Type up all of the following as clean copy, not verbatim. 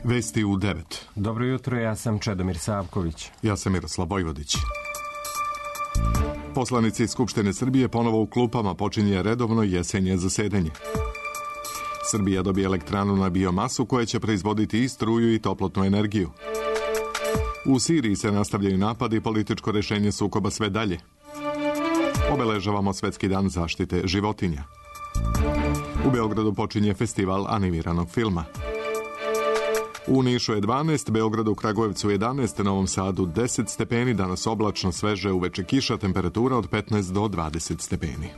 Vesti u 9. Dobro jutro, ja sam Čedomir Savković. Ja sam Miroslav Vojvodić. Poslanici Skupštine Srbije ponovo u klupama, počinje redovno jesenje zasedanje. Srbija dobije elektranu na biomasu koja će proizvoditi i struju i toplotnu energiju. U Siriji se nastavljaju napadi, političko rešenje sukoba sve dalje. Obeležavamo Svetski dan zaštite životinja. U Beogradu počinje festival animiranog filma. U Nišu je 12, Beogradu, Kragujevcu 11, Novom Sadu 10 stepeni, danas oblačno, sveže, uveče kiša, temperatura od 15 do 20 stepeni.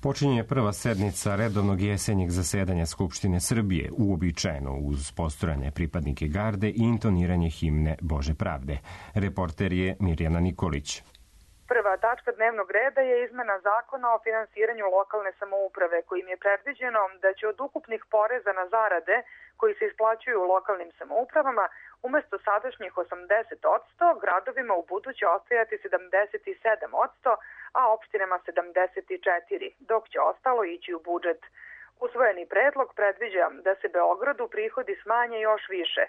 Počinje prva sednica redovnog jesenjeg zasedanja Skupštine Srbije, uobičajeno uz postojanje pripadnike garde i intoniranje himne Bože pravde. Reporter je Mirjana Nikolić. Prva tačka dnevnog reda je izmena zakona o finansiranju lokalne samouprave, kojim je predviđeno da će od ukupnih poreza na zarade koji se isplaćuju u lokalnim samoupravama umesto sadašnjih 80% gradovima u buduće ostajati 77%, a opštinama 74%, dok će ostalo ići u budžet. Usvojeni predlog predviđa da se Beogradu prihodi smanje još više,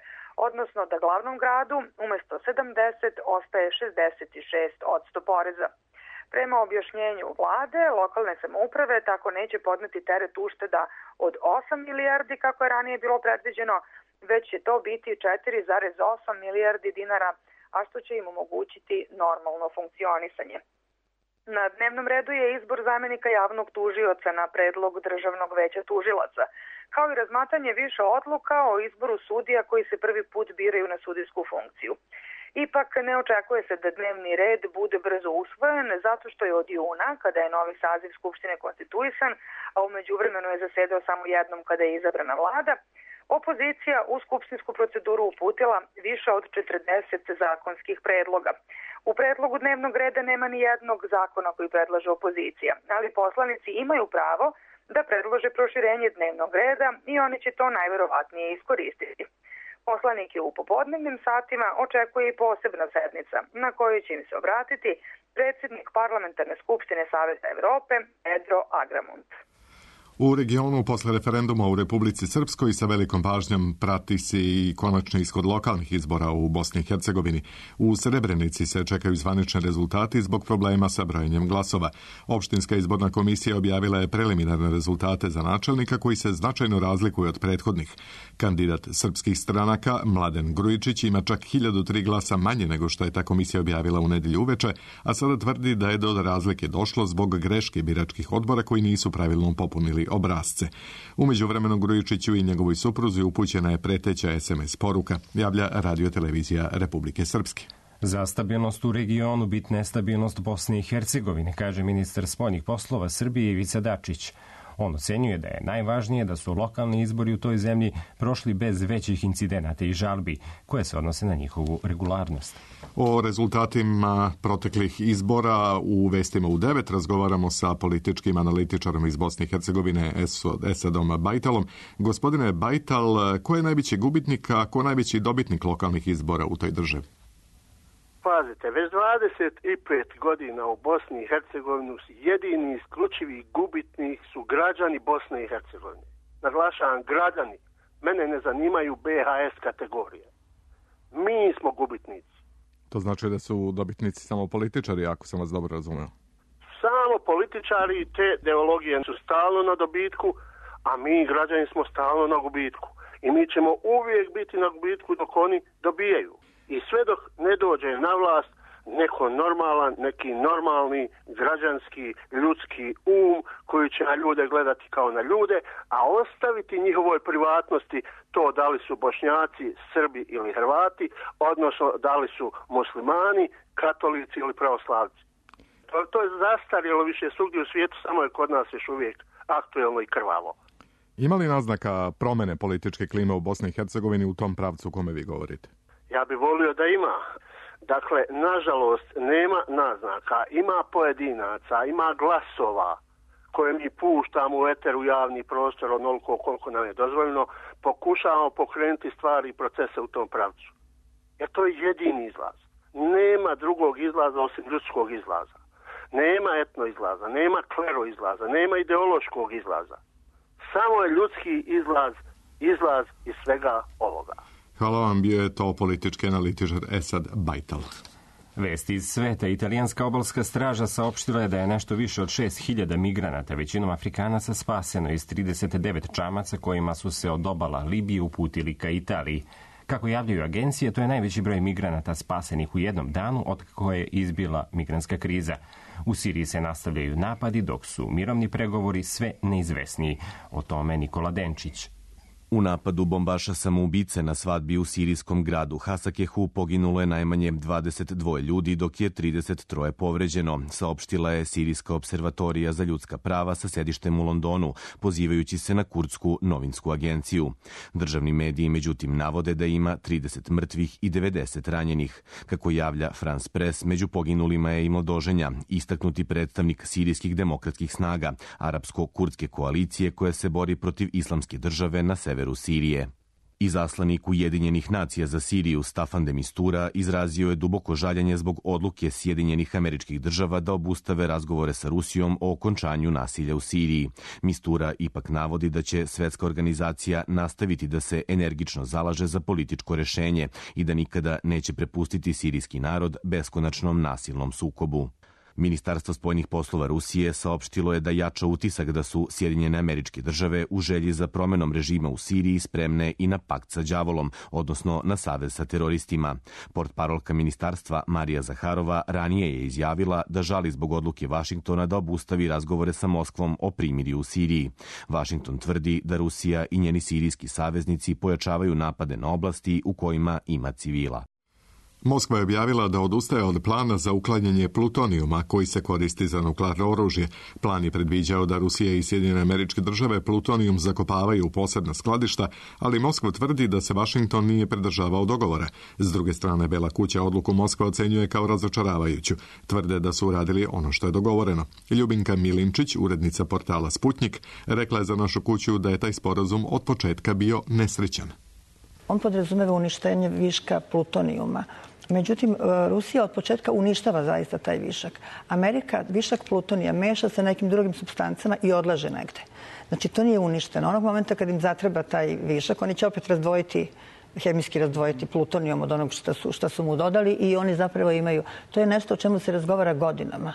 odnosno da glavnom gradu umesto 70 ostaje 66% poreza. Prema objašnjenju vlade, lokalne samouprave tako neće podneti teret ušteda od 8 milijardi kako je ranije bilo predviđeno, već će to biti 4,8 milijardi dinara, a što će im omogućiti normalno funkcionisanje. Na dnevnom redu je izbor zamenika javnog tužioca na predlog Državnog veća tužilaca, kao i razmatranje više odluka o izboru sudija koji se prvi put biraju na sudijsku funkciju. Ipak ne očekuje se da dnevni red bude brzo usvojen, zato što je od juna, kada je novi saziv Skupštine konstituisan, a u međuvremenu je zasedao samo jednom kada je izabrana vlada, opozicija u skupštinsku proceduru uputila više od 40 zakonskih predloga. U predlogu dnevnog reda nema ni jednog zakona koji predlaže opozicija, ali poslanici imaju pravo da predlože proširenje dnevnog reda i oni će to najverovatnije iskoristiti. Poslanike u popodnevnim satima očekuje i posebna sednica na kojoj će im se obratiti predsjednik Parlamentarne skupštine Saveta Evrope Pedro Agramunt. U regionu posle referenduma u Republici Srpskoj sa velikom pažnjom prati se i konačni ishod lokalnih izbora u Bosni i Hercegovini. U Srebrenici se čekaju zvanični rezultati zbog problema sa brojenjem glasova. Opštinska izborna komisija objavila je preliminarne rezultate za načelnika koji se značajno razlikuju od prethodnih. Kandidat srpskih stranaka Mladen Grujičić ima čak 1003 glasa manje nego što je ta komisija objavila u nedelju uveče, a sada tvrdi da je do razlike došlo zbog greške biračkih odbora koji nisu pravilno popunili obrazce. U međuvremenu Grujičiću i njegovoj supruzi upućena je preteća SMS poruka, javlja Radio-televizija Republike Srpske. Za stabilnost u regionu bitna je stabilnost Bosne i Hercegovine, kaže ministar spoljnih poslova Srbije Ivica Dačić. On ocenjuje da je najvažnije da su lokalni izbori u toj zemlji prošli bez većih incidenata i žalbi koje se odnose na njihovu regularnost. O rezultatima proteklih izbora u Vestima u 9 razgovaramo sa političkim analitičarom iz Bosne i Hercegovine Esadom Bajtalom. Gospodine Bajtal, ko je najveći gubitnik, a ko najveći dobitnik lokalnih izbora u toj državi? Pazite, već 25 godina u Bosni i Hercegovini jedini isključivi gubitnik su građani Bosne i Hercegovine. Naglašavam, građani. Mene ne zanimaju BHS kategorije. Mi smo gubitnici. To znači da su dobitnici samo političari, ako sam vas dobro razumeo. Samo političari i te ideologije su stalno na dobitku, a mi građani smo stalno na gubitku. I mi ćemo uvijek biti na gubitku dok oni dobijaju. I sve dok ne dođe na vlast neko normalan, neki normalni građanski, ljudski koji će na ljude gledati kao na ljude, a ostaviti njihovoj privatnosti to da li su Bošnjaci, Srbi ili Hrvati, odnosno da li su muslimani, katolici ili pravoslavci. To je zastarjelo više svugdje u svijetu, samo je kod nas još uvijek aktuelno i krvavo. Ima li naznaka promene političke klime u Bosni i Hercegovini u tom pravcu o kome vi govorite? Ja bih volio da ima. Dakle, nažalost, nema naznaka, ima pojedinaca, ima glasova koje mi puštamo u eteru javni prostor onoliko koliko nam je dozvoljeno, pokušavamo pokrenuti stvari i procese u tom pravcu. Jer to je jedini izlaz. Nema drugog izlaza osim ljudskog izlaza. Nema etno izlaza, nema klero izlaza, nema ideološkog izlaza. Samo je ljudski izlaz izlaz iz svega ovoga. Hvala vam, bio je to politički analitičar Esad Bajtal. Vesti iz sveta. Italijanska obalska straža saopštila je da je nešto više od 6.000 migranata, većinom Afrikanaca, spaseno iz 39 čamaca kojima su se od obala Libije uputili ka Italiji. Kako javljaju agencije, to je najveći broj migranata spasenih u jednom danu od kako je izbila migrantska kriza. U Siriji se nastavljaju napadi, dok su mirovni pregovori sve neizvesniji. O tome Nikola Denčić. U napadu bombaša samoubice na svadbi u sirijskom gradu Hasakehu poginulo je najmanje 22 ljudi, dok je 33 povređeno, saopštila je Sirijska observatorija za ljudska prava sa sedištem u Londonu, pozivajući se na kurdsku novinsku agenciju. Državni mediji, međutim, navode da ima 30 mrtvih i 90 ranjenih. Kako javlja France Press, među poginulima je i mladoženja, istaknuti predstavnik sirijskih demokratskih snaga, arapsko-kurdske koalicije koja se bori protiv islamske države na severu Sirije. Izaslanik Ujedinjenih nacija za Siriju Staffan de Mistura izrazio je duboko žaljenje zbog odluke Sjedinjenih Američkih Država da obustave razgovore sa Rusijom o okončanju nasilja u Siriji. Mistura ipak navodi da će svetska organizacija nastaviti da se energično zalaže za političko rešenje i da nikada neće prepustiti sirijski narod beskonačnom nasilnom sukobu. Ministarstvo spoljnih poslova Rusije saopštilo je da jača utisak da su Sjedinjene Američke Države u želji za promenom režima u Siriji spremne i na pakt sa đavolom, odnosno na savez sa teroristima. Portparolka ministarstva Marija Zaharova ranije je izjavila da žali zbog odluke Vašingtona da obustavi razgovore sa Moskvom o primirju u Siriji. Vašington tvrdi da Rusija i njeni sirijski saveznici pojačavaju napade na oblasti u kojima ima civila. Moskva je objavila da odustaje od plana za uklanjanje plutonijuma koji se koristi za nuklearno oružje. Plan je predviđao da Rusija i Sjedinjene Američke Države plutonijum zakopavaju u posebna skladišta, ali Moskva tvrdi da se Vašington nije pridržavao dogovora. S druge strane, Bela kuća odluku Moskva ocenjuje kao razočaravajuću. Tvrde da su uradili ono što je dogovoreno. Ljubinka Milinčić, urednica portala Sputnik, rekla je za našu kuću da je taj sporazum od početka bio nesrećan. On podrazumeva uništenje viška plutonijuma. Međutim, Rusija od početka uništava zaista taj višak. Amerika višak plutonija meša sa nekim drugim supstancama i odlaže negde. Znači, to nije uništeno. Onog momenta kad im zatreba taj višak, oni će opet hemijski razdvojiti plutonijom od onog što su mu dodali i oni zapravo imaju. To je nešto o čemu se razgovara godinama.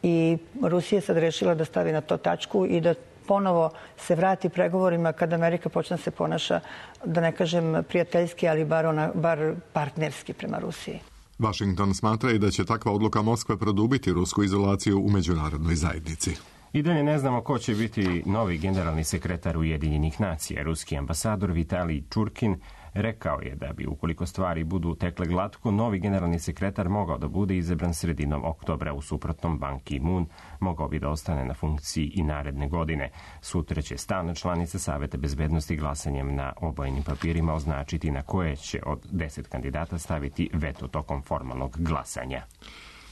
I Rusija je sad rešila da stavi na to tačku i da ponovo se vrati pregovorima kada Amerika počne se ponaša, da ne kažem prijateljski, ali bar partnerski prema Rusiji. Washington smatra i da će takva odluka Moskve produbiti rusku izolaciju u međunarodnoj zajednici. I dalje ne znamo ko će biti novi generalni sekretar Ujedinjenih nacija. Ruski ambasador Vitalij Čurkin rekao je da bi, ukoliko stvari budu tekle glatko, novi generalni sekretar mogao da bude izabran sredinom oktobra. U suprotnom, Ban Ki-moon mogao bi da ostane na funkciji i naredne godine. Sutra će stalne članice Saveta bezbednosti glasanjem na obojenim papirima označiti na koje će od 10 kandidata staviti veto tokom formalnog glasanja.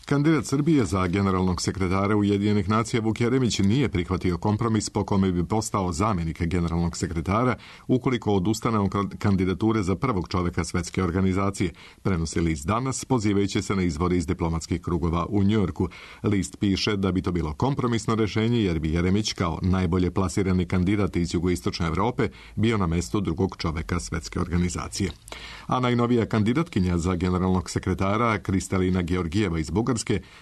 Kandidat Srbije za generalnog sekretara Ujedinjenih nacija Vuk Jeremić nije prihvatio kompromis po kome bi postao zamjenik generalnog sekretara ukoliko odustane od kandidature za prvog čoveka svetske organizacije, prenosi list Danas, pozivajući se na izvore iz diplomatskih krugova u Njujorku. List piše da bi to bilo kompromisno rešenje jer bi Jeremić kao najbolje plasirani kandidat iz jugoistočne Evrope bio na mestu drugog čoveka svetske organizacije. A najnovija kandidatkinja za generalnog sekretara Kristalina Georgijeva iz Bugarske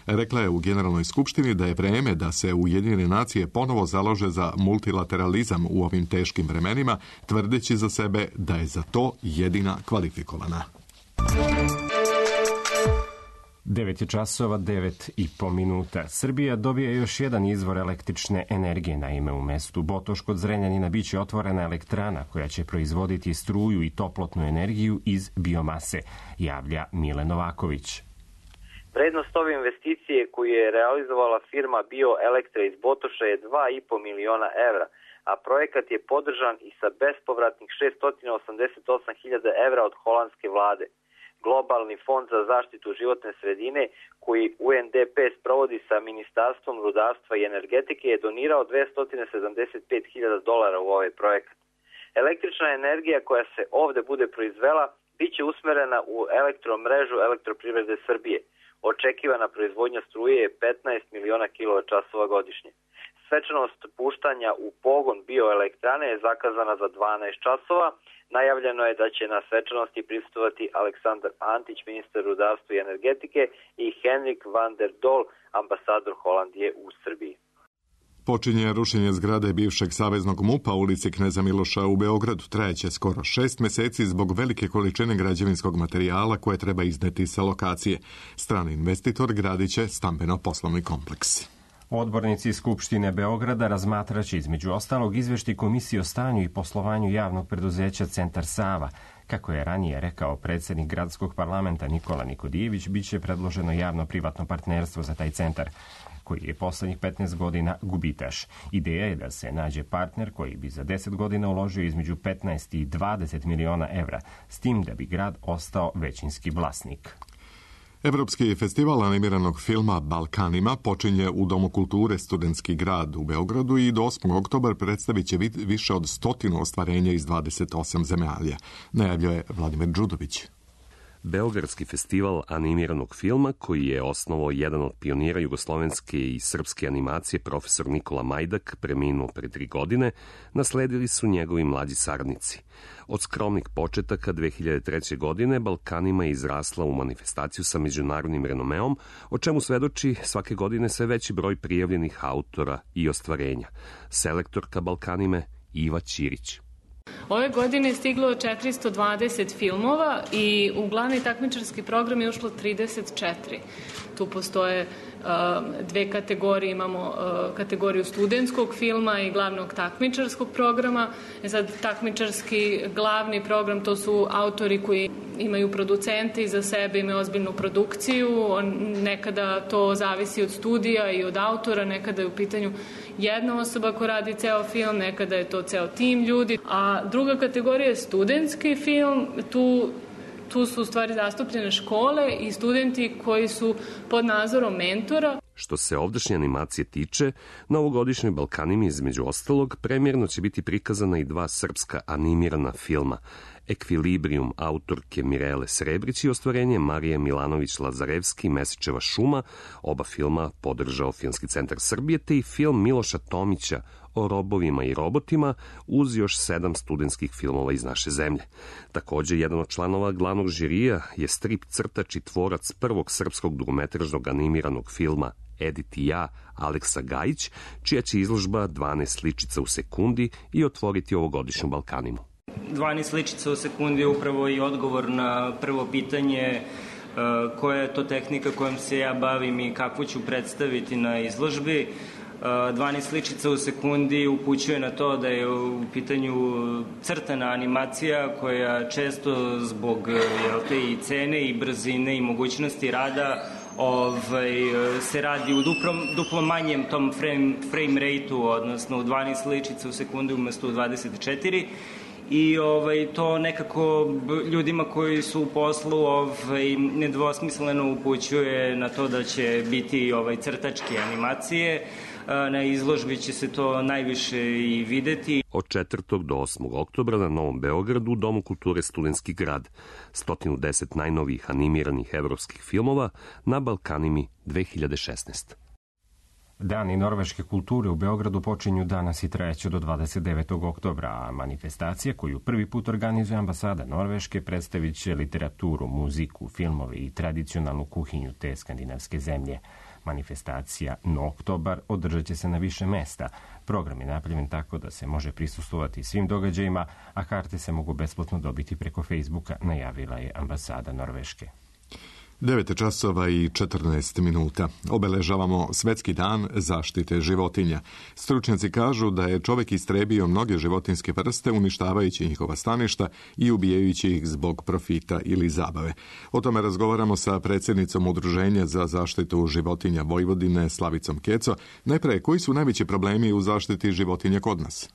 rekla je u Generalnoj skupštini da je vreme da se Ujedinjene nacije ponovo založe za multilateralizam u ovim teškim vremenima, tvrdeći za sebe da je za to jedina kvalifikovana. 9 časova, 9,5 minuta. Srbija dobija još jedan izvor električne energije. Naime, u mestu Botoš kod Zrenjanina biće otvorena elektrana koja će proizvoditi struju i toplotnu energiju iz biomase, javlja Mile Novaković. Vrednost ove investicije koju je realizovala firma BioElektra iz Botoša je 2,5 miliona evra, a projekat je podržan i sa bespovratnih 688.000 evra od holandske vlade. Globalni fond za zaštitu životne sredine, koji UNDP sprovodi sa Ministarstvom rudarstva i energetike, je donirao $275.000 u ovaj projekat. Električna energija koja se ovde bude proizvela biće usmerena u elektromrežu Elektroprivrede Srbije. Očekivana proizvodnja struje je 15 miliona kWh godišnje. Svečanost puštanja u pogon bioelektrane je zakazana za 12 časova. Najavljeno je da će na svečanosti prisustvovati Aleksandar Antić, ministar rudarstva i energetike, i Henrik van der Doel, ambasador Holandije u Srbiji. Počinje rušenje zgrade bivšeg saveznog MUP-a u ulici Kneza Miloša u Beogradu. Trajeće skoro 6 meseci zbog velike količine građevinskog materijala koje treba izneti sa lokacije. Strani investitor gradit će stambeno-poslovni kompleks. Odbornici Skupštine Beograda razmatraće između ostalog izveštaj Komisije o stanju i poslovanju javnog preduzeća Centar Sava. Kako je ranije rekao predsjednik gradskog parlamenta Nikola Nikodijević, biće predloženo javno-privatno partnerstvo za taj centar, koji je poslednjih 15 godina gubitaš. Ideja je da se nađe partner koji bi za 10 godina uložio između 15 i 20 miliona evra, s tim da bi grad ostao većinski vlasnik. Evropski festival animiranog filma Balkanima počinje u Domu kulture Studentski grad u Beogradu i do 8. oktobra predstavit će više od 100 ostvarenja iz 28 zemalja, najavljuje Vladimir Đudović. Beogradski festival animiranog filma, koji je osnovao jedan od pionira jugoslovenske i srpske animacije, profesor Nikola Majdak, preminuo pre 3 godine, nasledili su njegovi mlađi saradnici. Od skromnih početaka 2003. godine Balkanima je izrasla u manifestaciju sa međunarodnim renomeom, o čemu svedoči svake godine sve veći broj prijavljenih autora i ostvarenja. Selektorka Balkanime Iva Ćirić. Ove godine je stiglo 420 filmova i u glavni takmičarski program je ušlo 34. Tu postoje dve kategorije, imamo kategoriju studentskog filma i glavnog takmičarskog programa. Sad, takmičarski glavni program, to su autori koji imaju producente iza sebe, imaju ozbiljnu produkciju, nekada to zavisi od studija i od autora, nekada je u pitanju jedna osoba ko radi ceo film, nekada je to ceo tim ljudi. A druga kategorija je studentski film, tu su u stvari zastupljene škole i studenti koji su pod nadzorom mentora. Što se ovdašnje animacije tiče, na ovogodišnjoj Balkanimi između ostalog premjerno će biti prikazana i 2 srpska animirana filma. Ekvilibrium autorke Mirele Srebrić i ostvarenje Marije Milanović-Lazarevski Mesičeva šuma, oba filma podržao Filmski centar Srbije, te i film Miloša Tomića o robovima i robotima, uz još 7 studentskih filmova iz naše zemlje. Takođe, jedan od članova glavnog žirija je strip crtač i tvorac prvog srpskog dugometražnog animiranog filma Edit i ja, Aleksa Gajić, čija će izložba 12 sličica u sekundi i otvoriti ovogodišnju Balkanimu. 12 sličica u sekundi je upravo i odgovor na prvo pitanje koja je to tehnika kojom se ja bavim i kakvu ću predstaviti na izložbi. 12 sličica u sekundi upućuje na to da je u pitanju crtana animacija koja često zbog i cene i brzine i mogućnosti rada se radi u duplo manjem tom frame rate-u, odnosno u 12 sličica u sekundi umesto u 24. I to nekako ljudima koji su u poslu nedvosmisleno upućuje na to da će biti crtačke animacije. Na izložbi će se to najviše i videti. Od 4. do 8. oktobra na Novom Beogradu u Domu kulture Studentski grad. 110 najnovijih animiranih evropskih filmova na Balkanimi 2016. Dani norveške kulture u Beogradu počinju danas i trajeće do 29. oktobra, a manifestacija koju prvi put organizuje ambasada Norveške predstavit će literaturu, muziku, filmove i tradicionalnu kuhinju te skandinavske zemlje. Manifestacija No oktobar održat će se na više mesta. Program je napravljen tako da se može prisustvovati svim događajima, a karte se mogu besplatno dobiti preko Facebooka, najavila je ambasada Norveške. 9 časova i 14 minuta. Obeležavamo Svetski dan zaštite životinja. Stručnjaci kažu da je čovek istrebio mnoge životinjske vrste uništavajući njihova staništa i ubijajući ih zbog profita ili zabave. O tome razgovaramo sa predsjednicom Udruženja za zaštitu životinja Vojvodine Slavicom Keco. Najpre, koji su najveći problemi u zaštiti životinja kod nas?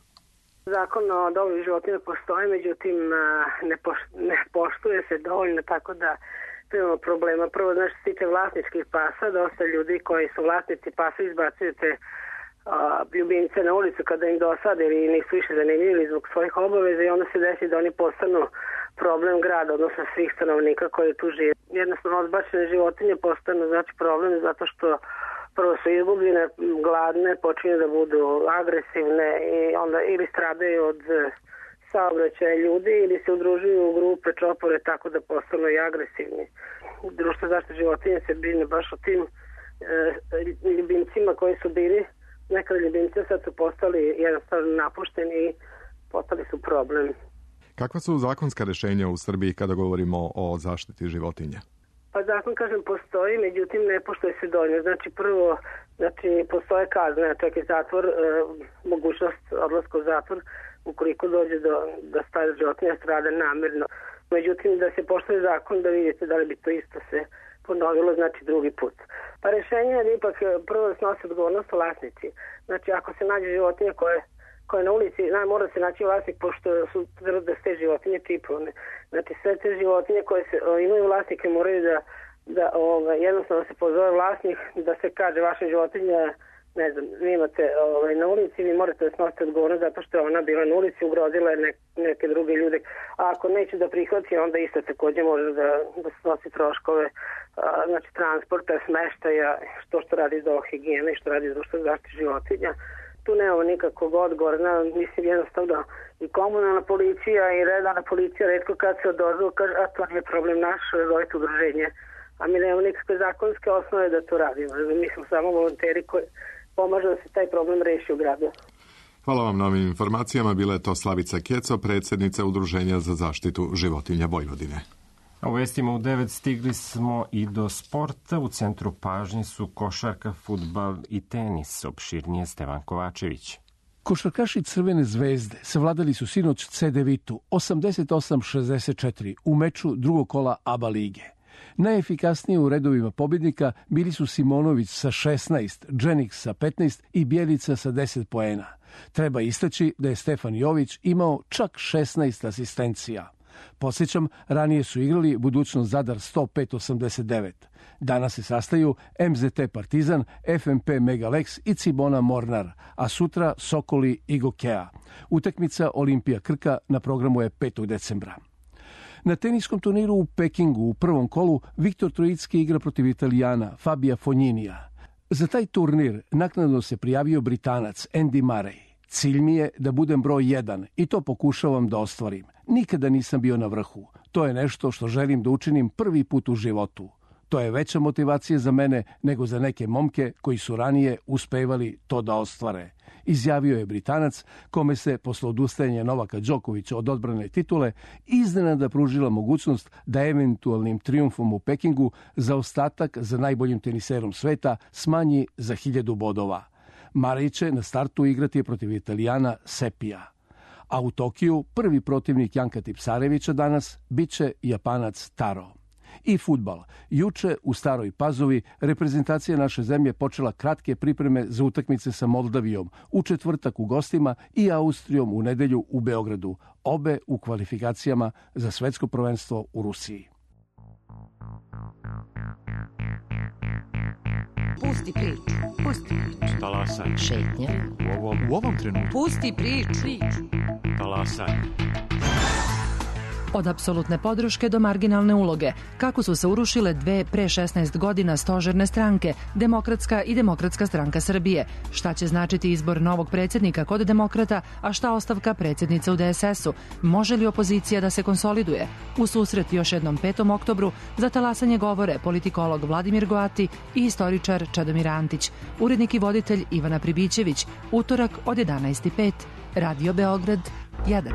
Zakon o dobrobiti životinja postoji, međutim ne poštuje se dovoljno, tako da imamo problema. Prvo, što se tiče vlasničkih pasa, dosta ljudi koji su vlasnici pasa izbacuju te ljubimce na ulicu kada im dosade ili nisu više zanimljivi zbog svojih obaveza i onda se desi da oni postanu problem grada, odnosno svih stanovnika koji tu žive. Jednostavno, odbačene životinje postanu problem zato što prvo su izgubljene, gladne, počinju da budu agresivne i onda ili stradaju od saobraćaja ljudi ili se udružuju u grupe, čopore, tako da postanu i agresivni. Društvo zaštite životinja se brine baš o tim ljubimcima koji su bili nekada ljubimci, sad su postali jednostavno napušteni i postali su problem. Kakva su zakonska rešenja u Srbiji kada govorimo o zaštiti životinja? Pa zakon, kažem, postoji, međutim ne poštuje se dovoljno. Znači prvo, postoje kazne, čak i zatvor, mogućnost odlaska u zatvor ukoliko dođe da stara životinja strada namerno. Međutim, da se poštuje zakon, da vidite da li bi to isto se ponovilo, znači drugi put. Pa rešenje je ipak prvo da snose odgovornost vlasnici. Znači ako se nađe životinja koja je na ulici, mora se naći vlasnik, pošto su da ste životinje čipovane. Znači sve te životinje koje imaju vlasnike moraju da jednostavno se pozove vlasnik, da se kaže vaša životinja, ne znam, vi imate na ulici, vi morate da snosite odgovornost zato što je ona bila na ulici, ugrozila je neke druge ljude. A ako neće da prihvati, onda isto takođe može da snosi troškove, znači transporta, smeštaja, što radi do higijene i što radi društvo zaštite životinja. Tu nemamo nikakvog odgovora, mislim jednostavno i komunalna policija i redovna policija retko kad se odozvu, kaže, a to nije problem naš, zovite udruženje. A mi nemamo nikakve zakonske osnove da to radimo. Mi smo samo volonteri koji pomažu da se taj problem reši u gradu. Hvala vam na ovim informacijama. Bila je to Slavica Keco, predsjednica Udruženja za zaštitu životinja Vojvodine. U vestima u 9 stigli smo i do sporta. U centru pažnje su košarka, fudbal i tenis. Opširnije Stevan Kovačević. Košarkaši Crvene zvezde savladali su sinoć CDVitu 88-64 u meču drugog kola ABA lige. Najefikasnije u redovima pobjednika bili su Simonović sa 16, Dženik sa 15 i Bjelica sa 10 poena. Treba istaći da je Stefan Jović imao čak 16 asistencija. Podsjećam, ranije su igrali Budućnost Zadar 105-89. Danas se sastaju MZT Partizan, FMP Megalex i Cibona Mornar, a sutra Sokoli i Gokea. Utakmica Olimpija Krka na programu je 5. decembra. Na teniskom turniru u Pekingu u prvom kolu Viktor Trojicki igra protiv Italijana Fabija Fogninija. Za taj turnir naknadno se prijavio Britanac Andy Murray. Cilj mi je da budem broj 1 i to pokušavam da ostvarim. Nikada nisam bio na vrhu. To je nešto što želim da učinim prvi put u životu. To je veća motivacija za mene nego za neke momke koji su ranije uspevali to da ostvare. Izjavio je Britanac, kome se posle odustajanja Novaka Đokovića od odbrane titule iznenada pružila mogućnost da eventualnim trijumfom u Pekingu zaostatak za najboljim teniserom sveta smanji za 1000 bodova. Murray će na startu igrati protiv Italijana Sepija. A u Tokiju prvi protivnik Janka Tipsarevića danas biće Japanac Taro. I fudbal. Juče u Staroj Pazovi reprezentacija naše zemlje počela kratke pripreme za utakmice sa Moldavijom, u četvrtak u gostima i Austrijom u nedelju u Beogradu, obe u kvalifikacijama za svetsko prvenstvo u Rusiji. Pusti priču. Pusti priču. Talasaj. Šetnja. U ovom trenutku. Pusti priču. Talasaj. Od apsolutne podrške do marginalne uloge, kako su se urušile dve pre 16 godina stožerne stranke, Demokratska i Demokratska stranka Srbije, šta će značiti izbor novog predsjednika kod Demokrata, a šta ostavka predsjednice u DSS-u, može li opozicija da se konsoliduje? U susret još jednom 5. oktobru za talasanje govore politikolog Vladimir Goati i istoričar Čedomir Antić, urednik i voditelj Ivana Pribićević, utorak od 11:05, Radio Beograd 1.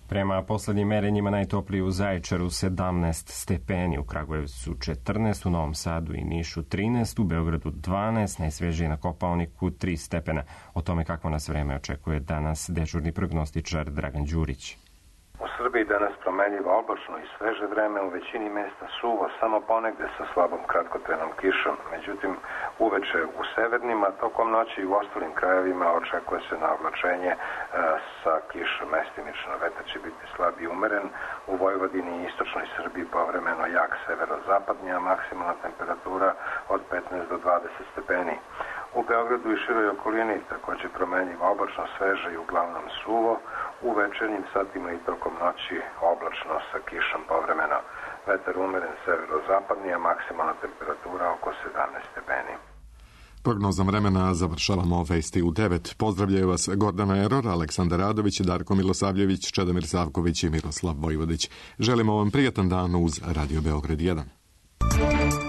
Prema poslednjim merenjima najtopliji u Zaječaru 17 stepeni, u Kragujevcu 14, u Novom Sadu i Nišu 13, u Beogradu 12, najsvežije na Kopaoniku 3 stepena. O tome kakvo nas vreme očekuje danas dežurni prognostičar Dragan Đurić. U Srbiji danas promenljivo oblačno i sveže vreme, u većini mesta suvo, samo ponegde sa slabom kratkotrajnom kišom. Međutim, uveče u severnima, tokom noći i u ostalim krajevima očekuje se na oblačenje sa kišom mestimično. Vetar će biti slab i umeren, u Vojvodini i istočnoj Srbiji povremeno jak severozapadnji, a maksimalna temperatura od 15 do 20 stepeni. U Beogradu i široj okolini također promenljivo oblačno, sveže i uglavnom suvo, u večernjim satima i tokom noći oblačno sa kišom povremeno. vetar umeren severozapadni, a maksimalna temperatura oko 17 stepeni. Prognozom vremena završavamo vesti u 9. Pozdravljaju vas Gordana Eror, Aleksandar Radović, Darko Milosavljević, Čedomir Savković i Miroslav Vojvodić. Želimo vam prijatan dan uz Radio Beograd 1.